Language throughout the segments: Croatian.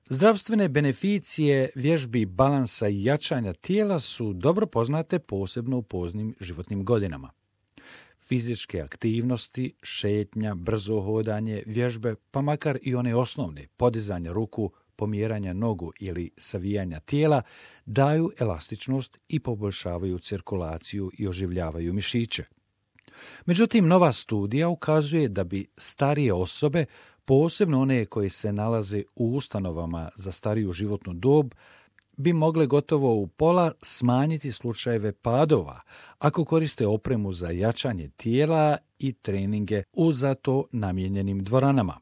Zdravstvene beneficije vježbi balansa i jačanja tijela su dobro poznate posebno u poznim životnim godinama. Fizičke aktivnosti, šetnja, brzo hodanje, vježbe, pa makar i one osnovne, podizanje ruku, pomjeranja nogu ili savijanja tijela, daju elastičnost i poboljšavaju cirkulaciju i oživljavaju mišiće. Međutim, nova studija ukazuje da bi starije osobe, posebno one koje se nalaze u ustanovama za stariju životnu dob, bi mogle gotovo u pola smanjiti slučajeve padova ako koriste opremu za jačanje tijela i treninge u za to namijenjenim dvoranama.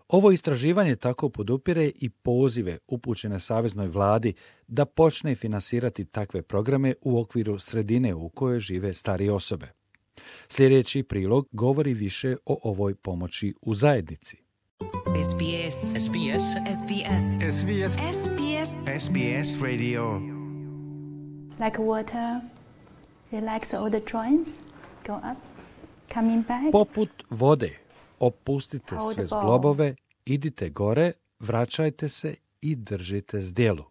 Ovo istraživanje tako podupire i pozive upućene saveznoj vladi da počne finansirati takve programe u okviru sredine u kojoj žive starije osobe. Sljedeći prilog govori više o ovoj pomoći u zajednici. SBS. SBS. SBS. SBS. SBS. SBS Radio. Like water, relax all the joints, go up, coming back. Poput vode, opustite Hold sve the ball. zglobove, idite gore, vraćajte se i držite zdjelu.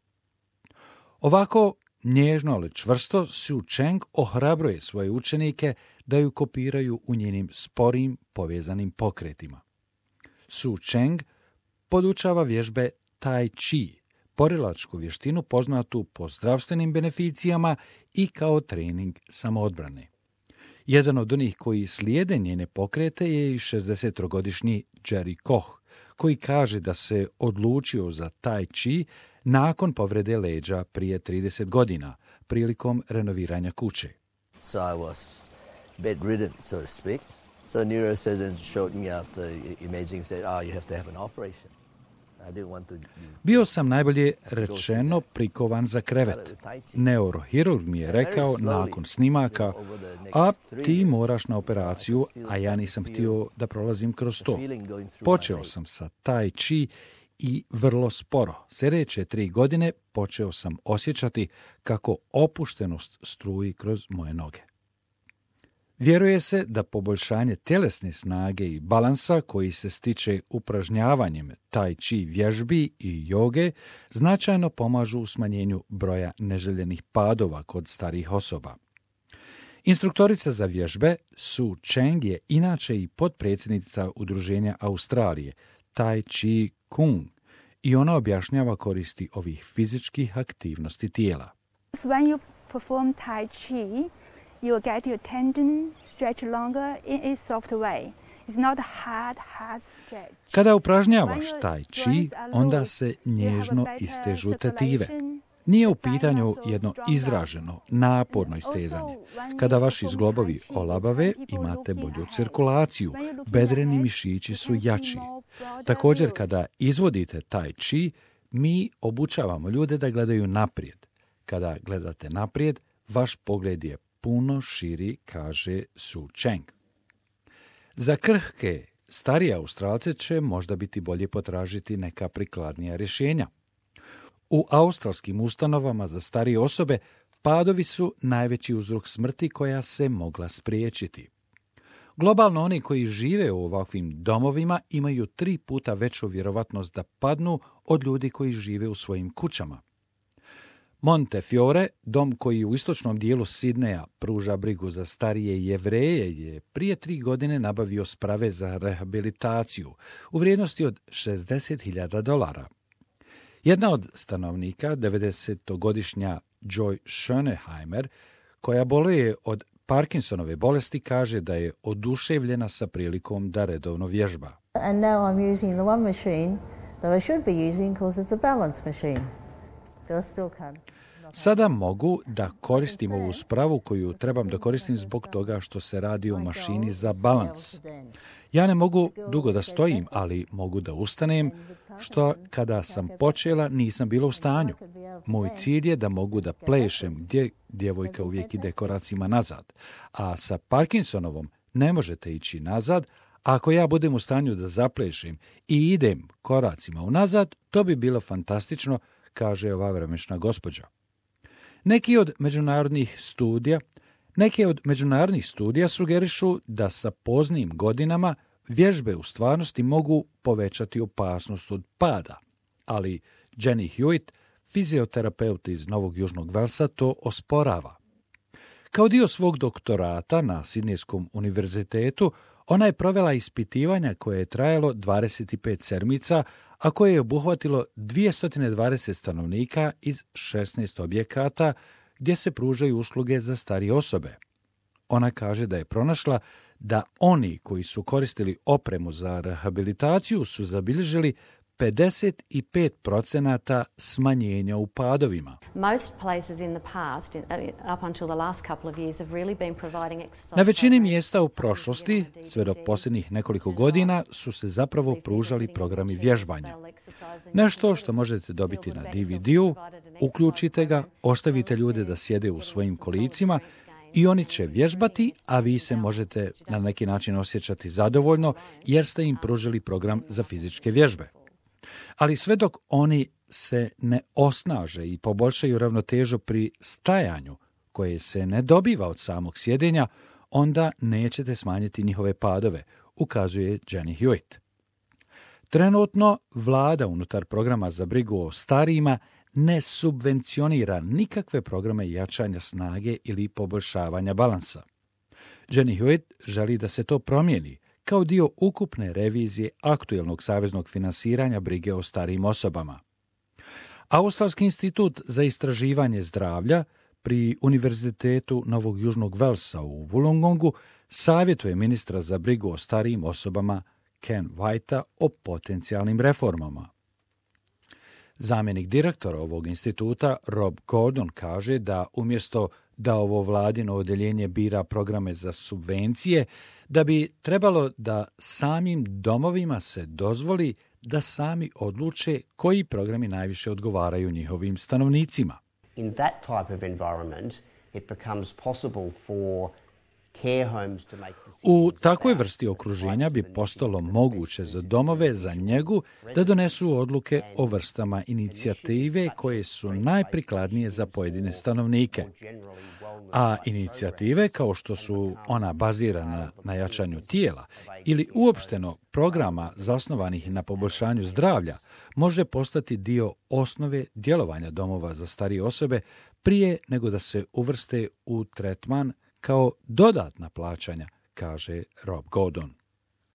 Ovako, nježno ali čvrsto, Su Cheng ohrabruje svoje učenike da ju kopiraju u njenim sporim povezanim pokretima. Su Cheng podučava vježbe Tai Chi, borilačku vještinu poznatu po zdravstvenim beneficijama i kao trening samoodbrane. Jedan od onih koji slijede njene pokrete je i 60-godišnji Jerry Koch, koji kaže da se odlučio za Tai Chi nakon povrede leđa prije 30 godina, prilikom renoviranja kuće. So I was bedridden, so to speak. So neurosurgeons showed me after imaging said, you have to have an operation. I didn't want to. Bio sam najbolje rečeno prikovan za krevet. Neurohirurg mi je rekao nakon snimaka, a ti moraš na operaciju, a ja nisam htio da prolazim kroz to. Počeo sam sa Tai Chi i vrlo sporo. Sljedeće 3 godine počeo sam osjećati kako opuštenost struji kroz moje noge. Vjeruje se da poboljšanje tjelesne snage i balansa koji se stiče upražnjavanjem Tai Chi vježbi i joge značajno pomažu u smanjenju broja neželjenih padova kod starijih osoba. Instruktorica za vježbe Su Cheng je inače i potpredsjednica Udruženja Australije Tai Chi Kung i ona objašnjava koristi ovih fizičkih aktivnosti tijela. So when you perform Tai Chi, you will get your tendon stretch longer in a soft way. It's not hard stretch. Kada upražnjavaš Tai Chi, onda se nježno istežu tetive. Nije u pitanju jedno izraženo, naporno istezanje. Kada vaši zglobovi olabave, imate bolju cirkulaciju, bedreni mišići su jači. Također, kada izvodite Tai Chi, mi obučavamo ljude da gledaju naprijed. Kada gledate naprijed, vaš pogled je puno širi, kaže Su Cheng. Za krhke, starije Australce će možda biti bolje potražiti neka prikladnija rješenja. U australskim ustanovama za starije osobe padovi su najveći uzrok smrti koja se mogla spriječiti. Globalno oni koji žive u ovakvim domovima imaju 3 puta veću vjerovatnost da padnu od ljudi koji žive u svojim kućama. Montefiore, dom koji u istočnom dijelu Sidneja pruža brigu za starije Jevreje, je prije 3 godine nabavio sprave za rehabilitaciju u vrijednosti od $60.000. Jedna od stanovnika, 90-godišnja Joy Schöneheimer, koja boluje od Parkinsonove bolesti, kaže da je oduševljena sa prilikom da redovno vježba. And now I'm using the one machine that I should be using because it's a balance machine. But I still can't. Sada mogu da koristim ovu spravu koju trebam da koristim zbog toga što se radi o mašini za balans. Ja ne mogu dugo da stojim, ali mogu da ustanem, što kada sam počela nisam bila u stanju. Moj cilj je da mogu da plešem gdje djevojka uvijek ide koracima nazad, a sa Parkinsonovom ne možete ići nazad. Ako ja budem u stanju da zaplešem i idem koracima unazad, to bi bilo fantastično, kaže ova vremešna gospođa. Neke od međunarodnih studija sugerišu da sa poznim godinama vježbe u stvarnosti mogu povećati opasnost od pada, ali Jenny Hewitt, fizioterapeut iz Novog Južnog Velsa, to osporava. Kao dio svog doktorata na Sidnejskom univerzitetu, ona je provela ispitivanja koje je trajalo 25 sedmica, a koje je obuhvatilo 220 stanovnika iz 16 objekata gdje se pružaju usluge za starije osobe. Ona kaže da je pronašla da oni koji su koristili opremu za rehabilitaciju su zabilježili 55% smanjenja u padovima. Na većini mjesta u prošlosti, sve do posljednjih nekoliko godina, su se zapravo pružali programi vježbanja. Nešto što možete dobiti na DVD-u, uključite ga, ostavite ljude da sjede u svojim kolicima i oni će vježbati, a vi se možete na neki način osjećati zadovoljno jer ste im pružili program za fizičke vježbe. Ali sve dok oni se ne osnaže i poboljšaju ravnotežu pri stajanju, koje se ne dobiva od samog sjedenja, onda nećete smanjiti njihove padove, ukazuje Jenny Hewitt. Trenutno vlada unutar programa za brigu o starijima ne subvencionira nikakve programe jačanja snage ili poboljšavanja balansa. Jenny Hewitt želi da se to promijeni kao dio ukupne revizije aktuelnog saveznog finansiranja brige o starijim osobama. Australski institut za istraživanje zdravlja pri Univerzitetu Novog Južnog Velsa u Wollongongu savjetuje ministra za brigu o starijim osobama Ken Whitea o potencijalnim reformama. Zamjenik direktora ovog instituta Rob Gordon kaže da umjesto da ovo vladino odjeljenje bira programe za subvencije, da bi trebalo da samim domovima se dozvoli da sami odluče koji programi najviše odgovaraju njihovim stanovnicima. In that type of environment, it becomes possible for care homes to make decisions. U takvoj vrsti okruženja bi postalo moguće za domove za njegu da donesu odluke o vrstama inicijative koje su najprikladnije za pojedine stanovnike. A inicijative kao što su ona bazirana na jačanju tijela ili uopšteno programa zasnovanih na poboljšanju zdravlja može postati dio osnove djelovanja domova za starije osobe prije nego da se uvrste u tretman kao dodatna plaćanja, kaže Rob Gordon.